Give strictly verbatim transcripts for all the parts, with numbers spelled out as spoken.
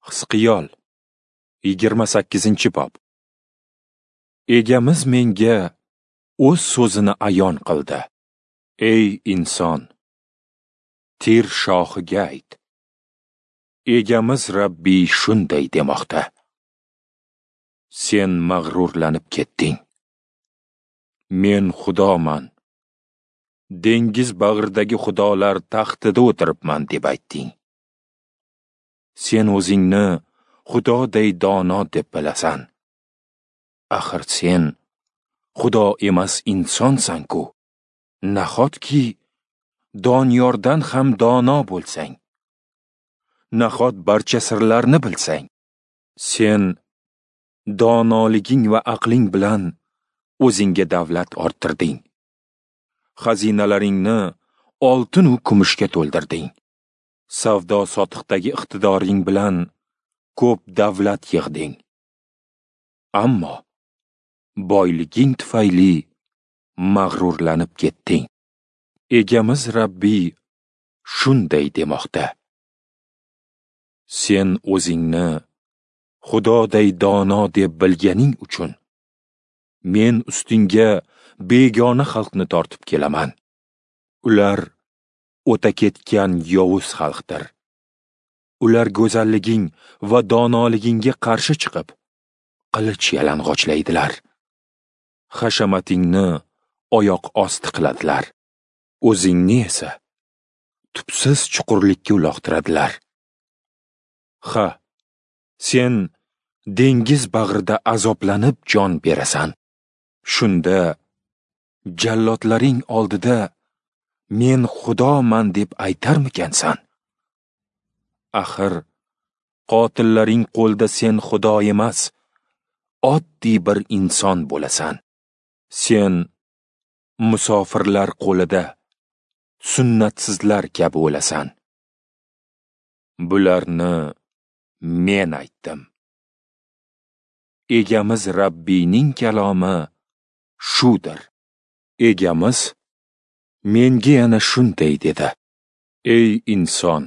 Hizqiyol yigirma sakkizinchi bob. Egamiz menga o'z so'zini ayon qildi. Ey inson, Tir shohiga ayt. Egamiz Rabbiy shunday demoqda: Sen mag'rurlanib ketding. Men Xudoman. Dengiz bag'ridagi xudolar taxtida o'tiribman deb aytding. Sen o'zingni Xudoday dono deb bilasan. Axir sen Xudo emas insonsan-ku. Nahotki Doniyordan ham dono bo'lsang? Nahot barcha sirlarni bilsang? Sen donoliging va aqling bilan o'zingga davlat orttirding. Xazinalaringni oltin u kumushga to'ldirding. Savdo-sotiqdagi iqtidoring bilan ko'p davlat yig'ding. Ammo boyliging tufayli mag'rurlanib ketding. Egamiz Rabbiy shunday demoqda: Sen o'zingni Xudoday dono deb bilganing uchun men ustingga begona xalqni tortib kelaman. Ular o'ta ketgan yovuz xalqdir. Ular go'zalliging va donoligingga qarshi chiqib, qilich yalang'ochlaydilar. Hashamatingni oyoq osti qiladilar. O'zingni esa tubsiz chuqurlikka uloqtiradilar. Ha, sen dengiz bag'rida azoblanib jon berasan. Shunda jallodlaring oldida men Xudoman deb aytarmikansan? Axir qotillaring qo'lda sen Xudo emas, oddiy bir inson bo'lasan. Sen musofirlar qo'lida sunnatsizlar kabi o'lasan. Bularni men aytdim. Egamiz Rabbiyning kalomi shudir. Egamiz menga yana shunday dedi: Ey inson,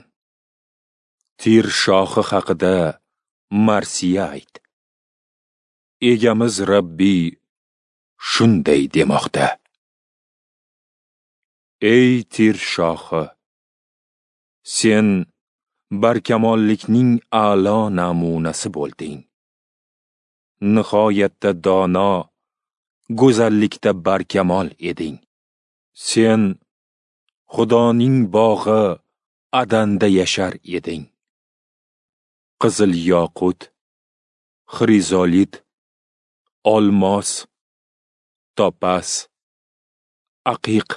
Tir shohi haqida marsiya ayt. Egamiz Rabbiy shunday demoqda: Ey Tir shohi, sen barkamollikning a'lo namunasi bo'lding. Nihoyatda dono, go'zallikda barkamol eding. Sen Xudoning bog'i Adanda yashar eding. Qizil yoqut, xrizolit, olmos, topaz, aqiq,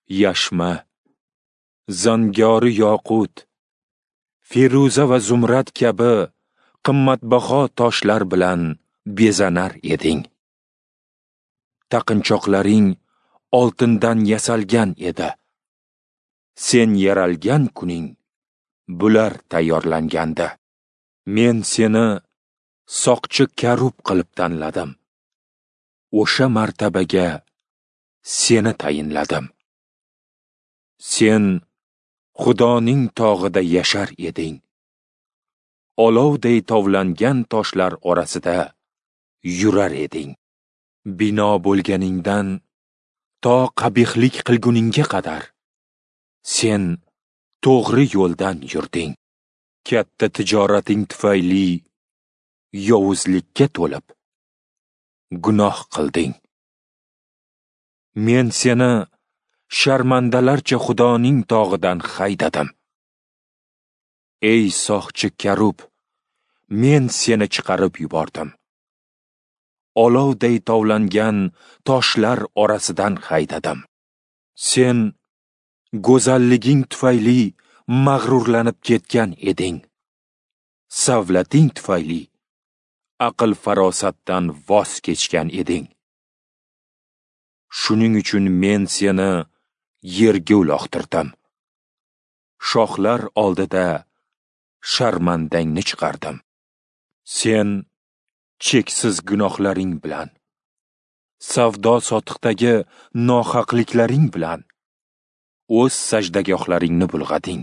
yashma, zangori yoqut, feruza va zumrad kabi qimmatbaho toshlar bilan bezanar eding. Taqinchoqlaring oltindan yasalgan edi. Sen yaralgan kuning bular tayyorlangandi. Men seni soqchi karub qilib tanladim. O'sha martabaga seni tayinladim. Sen Xudoning tog'ida yashar eding. Olovday tovlangan toshlar orasida yurar eding. Bino bo'lganingdan to qabihlik qilguningga qadar sen to'g'ri yo'ldan yurding. Katta tijorating tufayli yovuzlikka to'lib gunoh qilding. Men seni sharmandalarcha Xudoning tog'idan haydadim. Ey soqchi karub, men seni chiqarib yubordim. Olovday tovlangan toshlar orasidan haydadim. Sen go'zalliging tufayli mag'rurlanib ketgan eding. Savlating tufayli aql farosatdan voz kechgan eding. Shuning uchun men seni yerga uloqtirdim. Shohlar oldida sharmandangni chiqardim. Sen cheksiz gunohlaring bilan, savdo-sotiqdagi nohaqliklaring bilan o'z sajdagohlaringni bulg'ading.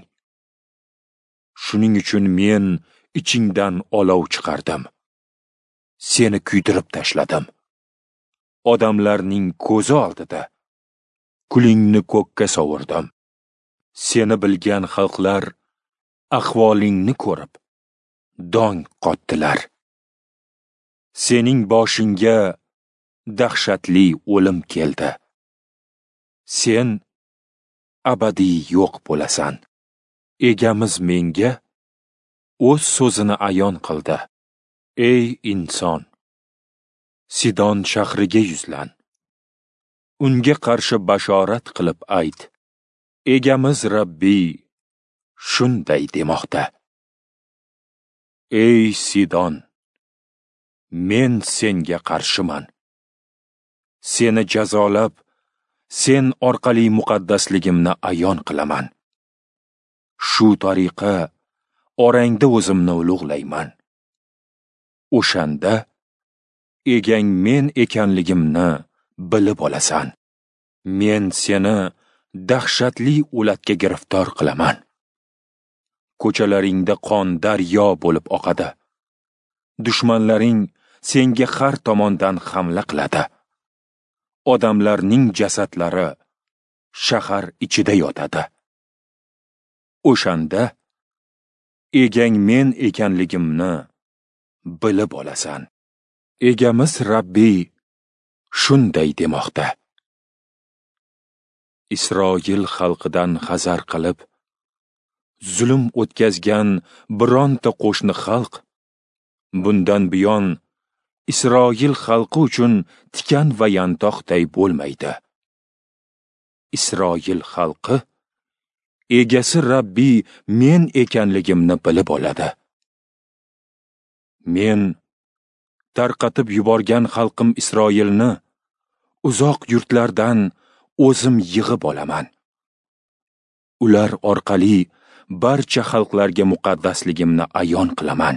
Shuning uchun men Ichingdan olov chiqardim. Seni kuydirib tashladim. Odamlarning ko'zi oldida kulingni ko'kka sovurdim. Seni bilgan xalqlar ahvolingni ko'rib dong qotdilar. Sening boshingga dahshatli o'lim keldi. Sen abadiy yo'q bo'lasan. Egamiz menga o'z so'zini ayon qildi. Ey inson, Sidon shahriga yuzlan. Unga qarshi bashorat qilib ayt. Egamiz Rabbiy shunday demoqda: Ey Sidon, men senga qarshiman. Seni jazolab, sen orqali muqaddasligimni ayon qilaman. Shu tariqa orangda o'zimni ulug'layman. O'shanda egang men ekanligimni bilib olasan. Men seni dahshatli o'latga giriftor qilaman. Ko'chalaringda qon daryo bo'lib oqadi. Dushmanlaring senga har tomondan hamla qiladi. Odamlarning jasadlari shahar ichida yotadi. O'shanda egang men ekanligimni bilib olasan. Egamiz Rabbiy shunday demoqda: Isroil xalqidan hazar qilib, zulm o'tkazgan bironta qo'shni xalq bundan buyon Isroil xalqi uchun tikan va yantoqday bo'lmaydi. Isroil xalqi egasi Rabbiy men ekanligimni bilib oladi. Men tarqatib yuborgan xalqim Isroilni uzoq yurtlardan o'zim yig'ib olaman. Ular orqali barcha xalqlarga muqaddasligimni ayon qilaman.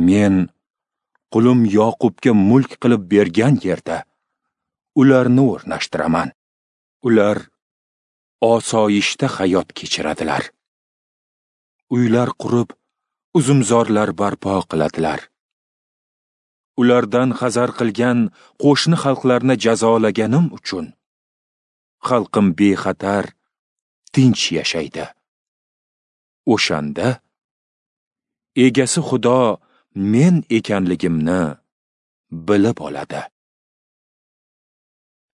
Men qulim Yoqubga mulk qilib bergan yerda ularni o'rnashtiraman. Ular osoyishta hayot kechiradilar. Uylar qurib, uzumzorlar barpo qiladilar. Ulardan hazar qilgan qo'shni xalqlarni jazolaganim uchun xalqim bexatar, tinch yashaydi. O'shanda egasi Xudo men ekanligimni bilib oladi.